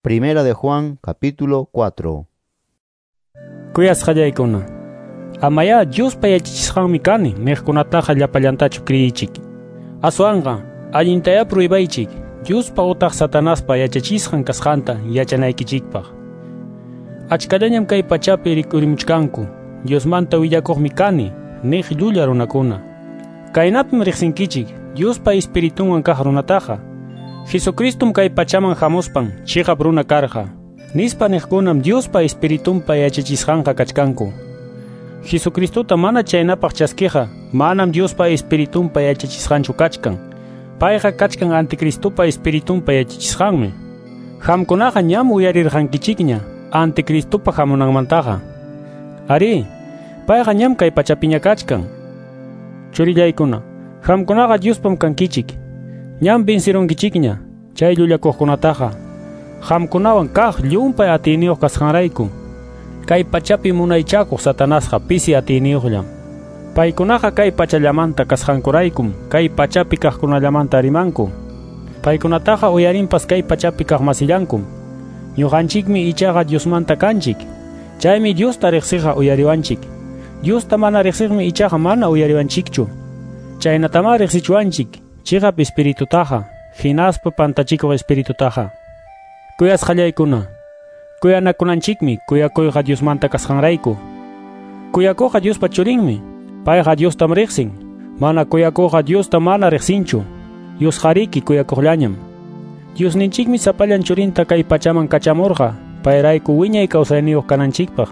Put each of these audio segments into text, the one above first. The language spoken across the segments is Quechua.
Primera de Juan, capítulo 4. Kuyasqallaykuna, amayá Diospa yachachisqanmi kani niqkunataqa llapallantachu kriyiychik. Aswanqa allintayá pruibaychik Diospa utaq Satanaspa yachachisqan kasqanta yachanaykichikpaq. Achkallañam kay pachapi rikurimuchkanku Diosmanta willakuqmi kani niq llulla runakuna. Kaynapim riqsinkichik Diospa espiritunwan kaq runataqa. Jesucristum kay pachaman hamuspan chiqap runa karqa. Nispa niqkunam Diospa espiritunpa yachachisqanqa kachkanku. Jesucristota mana chaynapaq chaskiqa manam Diospa espiritunpa yachachisqanchu kachkan. Payqa kachkan anticristopa espiritunpa yachachisqanmi. Qamkunaqa ñam uyarirqankichikña anticristopa hamunanmantaqa. Ari, payqa ñam kay pachapiña kachkan. Churillaykuna, qamkunaqa Diospam kankichik. Ñam vencirunkichikña chay llullakuqkunataqa. Qamkunawan kaq llumpay atiyniyuq kasqanrayku. Kay pachapi munaychakuq Satanasqa pisi atiyniyuqllam. Paykunaqa kay pachallamanta kasqankuraykum kay pachapi kaqkunallamanta rimanku. Paykunataqa uyarinpas kay pachapi kaqmasillankum. Ñuqanchikmi ichaqa Diosmanta kanchik. Chaymi Diosta riqsiqa uyariwanchik. Diosta mana riqsiqmi ichaqa mana uyariwanchikchu. Chaynatamá riqsichuwanchik chiqap espiritutaqa, hinaspa pantachikuq espiritutaqa. Kuyasqallaykuna, kuyanakunanchikmi kuyakuyqa Diosmanta kasqanrayku. Kuyakuqqa Diospa churinmi, payqa Diostam riqsin. Mana kuyakuqqa Diosta mana riqsinchu. Diosqariki kuyakuqllañam. Diosninchikmi sapallan churinta kay pachaman kachamurqa, payrayku wiñay kawsayniyuq kananchikpaq.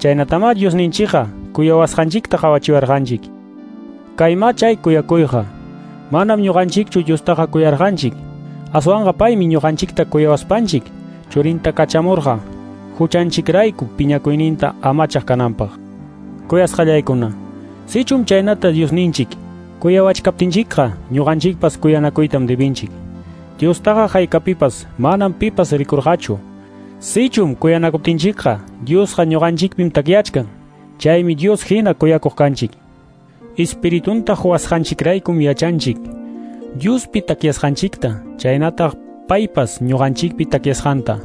Chaynatamá Diosninchikqa kuyawasqanchikta qawachiwarqanchik. Kaymá chay kuyakuyqa. Manam ñuqanchikchu Diostaqa kuyarqanchik. Aswanqa paymi ñuqanchikta kuyawaspanchik churinta kachamurqa huchanchikrayku piñakuyninta amachaq kananpaq. Kuyasqallaykuna, sichum chaynata Diosninchik kuyawachkaptinchikqa ñuqanchikpas kuyanakuytam debinchik. Diostaqa haykapipas manam pipas rikurqachu. Sichum kuyanakuptinchikqa Diosqa ñuqanchikpim takyachkan. Chaymi Dios hina kuyakuq kanchik. Espiritunta huwasqanchikraykum yachanchik Diospi takyasqanchikta, chaynataq paypas ñuqanchikpi takyasqanta.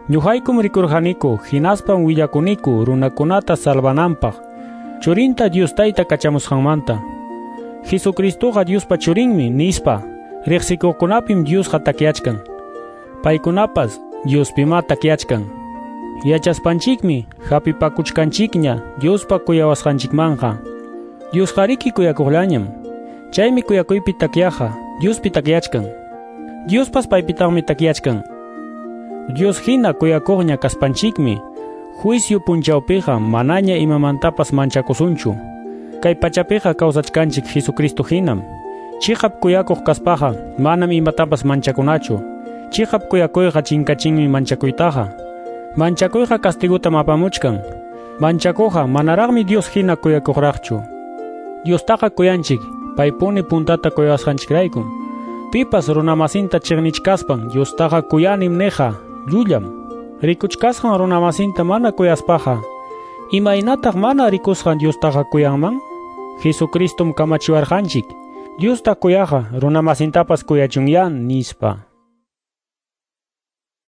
Ñuqaykum rikurqaniku hinaspam willakuniku runakunata salvananpaq churinta Dios Tayta kachamusqanmanta. Jesucristoqa Diospa churinmi nispa riqsikuqkunapim Diosqa takyachkan. Paykunapas Diospimá takyachkan. Yachaspanchikmi hapipakuchkanchikña Diospa kuyawasqanchikmanqa. Diosqariki kuyakuqllañam. Chaymi kuyakuypi takyaqa Diospi takyachkan. Diospas paypitaqmi takyachkan. Dios hina kuyakuqña kaspanchikmi juicio punchawpiqa manaña imamantapas manchakusunchu. Kay pachapiqa kawsachkanchik Jesucristo hinam. Chiqap kuyakuq kaspaqa manam imatapas manchakunachu. Chiqap kuyakuyqa chinkachinmi manchakuytaqa. Manchakuyqa castigutam apamuchkan. Manchakuqa manaraqmi Dios hina kuyakuqraqchu. Diostaqa kuyanchik, paypuni puntata kuyawasqanchikraykum. Pipas runamasinta chiqnichkaspan Diostaqa kuyanim niqa llullam. Rikuchkasqan runamasinta mana kuyaspaqa, imaynataq mana rikusqan Diostaqa kuyanman? Jesucristum kamachiwarqanchik. Diosta kuyaqa runamasintapas kuyachunyá nispa.